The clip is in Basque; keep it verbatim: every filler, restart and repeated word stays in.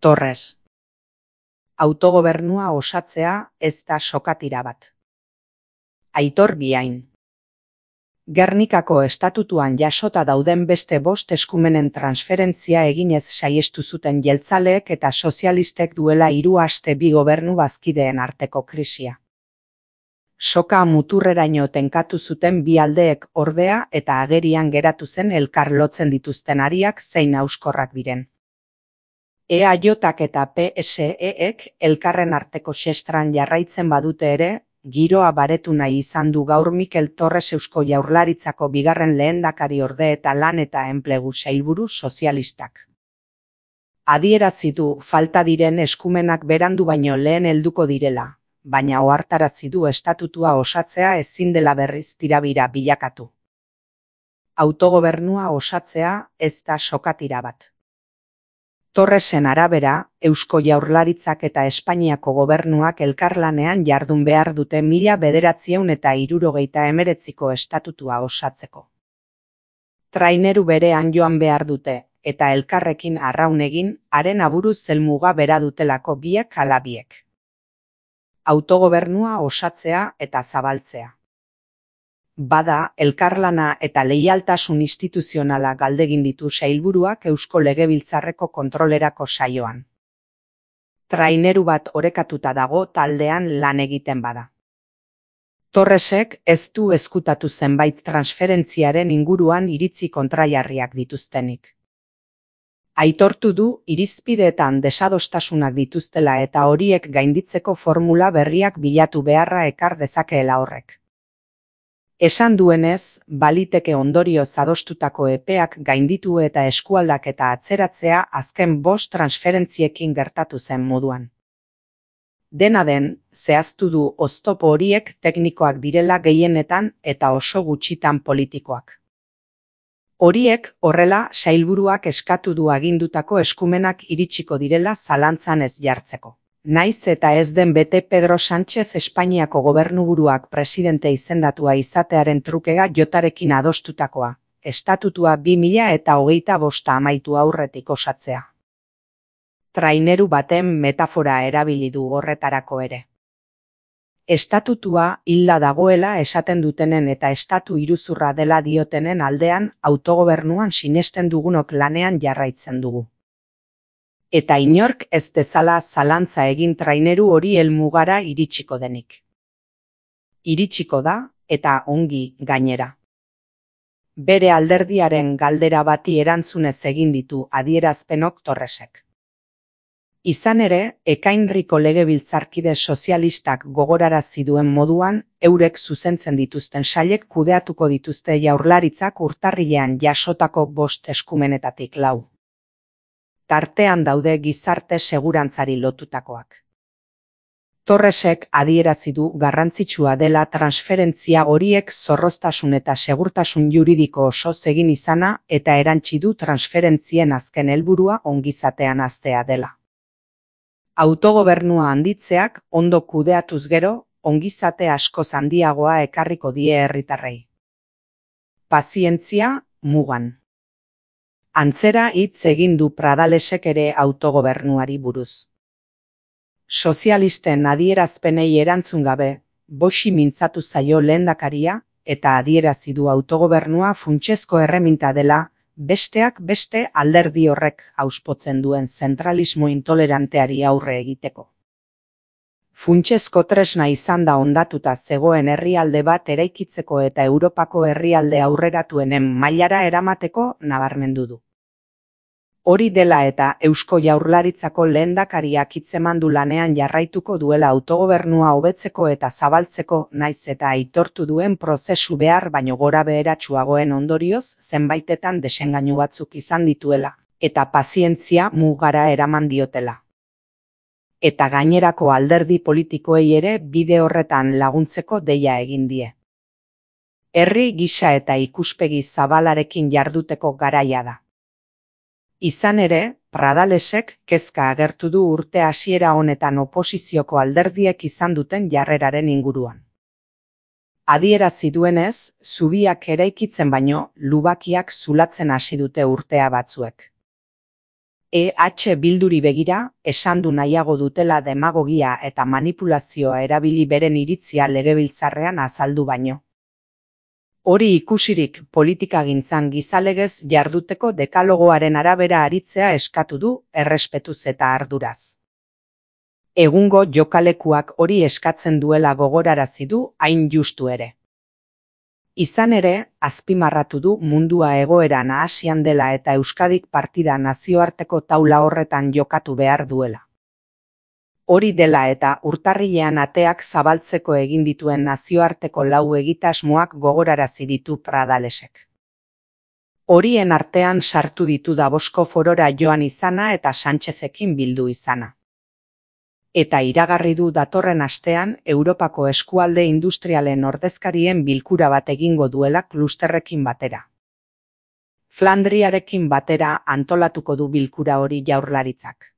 Torres. Autogobernua osatzea ez da sokatira bat. Aitor Biain. Gernikako estatutuan jasota dauden beste bost eskumenen transferentzia eginez saiestu zuten jeltzaleek eta sozialistek duela hiru aste bi gobernu bazkideen arteko krisia. Soka muturreraino tenkatu zuten bi aldeek ordea eta agerian geratu zen elkar lotzen dituzten ariak zein hauskorrak diren. E A J-ak eta P S E-ek elkarren arteko xestran jarraitzen badute ere, giroa baretu nahi izan du gaur Mikel Torres Eusko Jaurlaritzako bigarren lehendakari orde eta lan eta enplegu sailburu sozialistak. Adierazi du falta diren eskumenak berandu baino lehen helduko direla, baina ohartarazi du estatutua osatzea ezin dela berriz tirabira bilakatu. Autogobernua osatzea ez da sokatira bat. Torresen arabera, Eusko Jaurlaritzak eta Espainiako gobernuak elkarlanean jardun behar dute mila bederatziehun eta hirurogeita hemeretziko estatutua osatzeko. Traineru berean joan behar dute, eta elkarrekin arraun egin, haren aburuz helmuga bera dutelako biek ala biek. Autogobernua osatzea eta zabaltzea. Bada, elkarlana eta leialtasun instituzionala galdegin ditu sailburuak Eusko Legebiltzarreko kontrolerako saioan. Traineru bat orekatuta dago taldean lan egiten bada. Torresek ez du ezkutatu zenbait transferentziaren inguruan iritzi kontrajarriak dituztenik. Aitortu du irizpideetan desadostasunak dituztela eta horiek gainditzeko formula berriak bilatu beharra ekar dezakeela horrek. Esan duenez, baliteke ondorioz adostutako epeak gainditu eta eskualdaketa atzeratzea azken bost transferentziekin gertatu zen moduan. Dena den, zehaztu du oztopo horiek teknikoak direla gehienetan eta oso gutxitan politikoak. Horiek, horrela, sailburuak eskatu du agindutako eskumenak iritsiko direla zalantzan ez jartzeko. Naiz eta ez den bete Pedro Sánchez Espainiako gobernuburuak presidente izendatua izatearen trukega jotarekin adostutakoa, estatutua bi mila eta hogeita bosta amaitu aurretik osatzea. Traineru baten metafora erabili du horretarako ere. Estatutua hilda dagoela esaten dutenen eta estatu iruzurra dela diotenen aldean autogobernuan sinesten dugunok lanean jarraitzen dugu. Eta inork ez dezala zalantza egin traineru hori helmugara iritsiko denik. Iritsiko da, eta ongi gainera. Bere alderdiaren galdera bati erantzunez egin ditu adierazpenok Torresek. Izan ere, ekainriko legebiltzarkide sozialistak gogorarazi duen moduan, eurek zuzentzen dituzten sailek kudeatuko dituzte Jaurlaritzak urtarrilean jasotako bost eskumenetatik lau. Tartean daude gizarte segurantzari lotutakoak. Torresek adierazi du garrantzitsua dela transferentzia horiek zorroztasun eta segurtasun juridiko osoz egin izana eta erantsi du transferentzien azken helburua ongizatean haztea dela. Autogobernua handitzeak ondo kudeatuz gero, ongizate askoz handiagoa ekarriko die herritarrei. Pazientzia, mugan. Antzera hitz egin du Pradalesek ere autogobernuari buruz. Sozialisten adierazpenei erantzun gabe, boxi mintzatu zaio lehendakaria eta adierazi du autogobernua funtsezko erreminta dela, besteak beste alderdi horrek auspotzen duen zentralismo intoleranteari aurre egiteko. Funtsezko tresna izan da hondatuta zegoen herrialde bat eraikitzeko eta Europako herrialde aurreratuenen mailara eramateko nabarmendu du. Hori dela eta Eusko Jaurlaritzako lehendakariak hitzeman du lanean jarraituko duela autogobernua hobetzeko eta zabaltzeko naiz eta aitortu duen prozesu behar baino gora beheratsuagoen ondorioz zenbaitetan desengainu batzuk izan dituela, eta pazientzia mugara eraman diotela. Eta gainerako alderdi politikoei ere bide horretan laguntzeko deia egin die. Herri gisa eta ikuspegi zabalarekin jarduteko garaia da. Izan ere, Pradalesek kezka agertu du urte hasiera honetan oposizioko alderdiek izan duten jarreraren inguruan. Adierazi duenez, zubiak eraikitzen baino, lubakiak zulatzen hasi dute urtea batzuek. E H Bilduri begira, esan du nahiago dutela demagogia eta manipulazioa erabili beren iritzia legebiltzarrean azaldu baino. Hori ikusirik politikagintzan gizalegez jarduteko dekalogoaren arabera aritzea eskatu du, errespetuz eta arduraz. Egungo jokalekuak hori eskatzen duela gogorarazi du, hain justu ere. Izan ere, azpimarratu du mundua egoera nahasian dela eta Euskadik partida nazioarteko taula horretan jokatu behar duela. Hori dela eta urtarrilean ateak zabaltzeko egin dituen nazioarteko lau egitasmoak gogorarazi ditu Pradalesek. Horien artean sartu ditu Davosko forora joan izana eta Sánchezekin bildu izana. Eta iragarri du datorren astean Europako eskualde industrialen ordezkarien bilkura bat egingo duela klusterrekin batera. Flandriarekin batera antolatuko du bilkura hori Jaurlaritzak.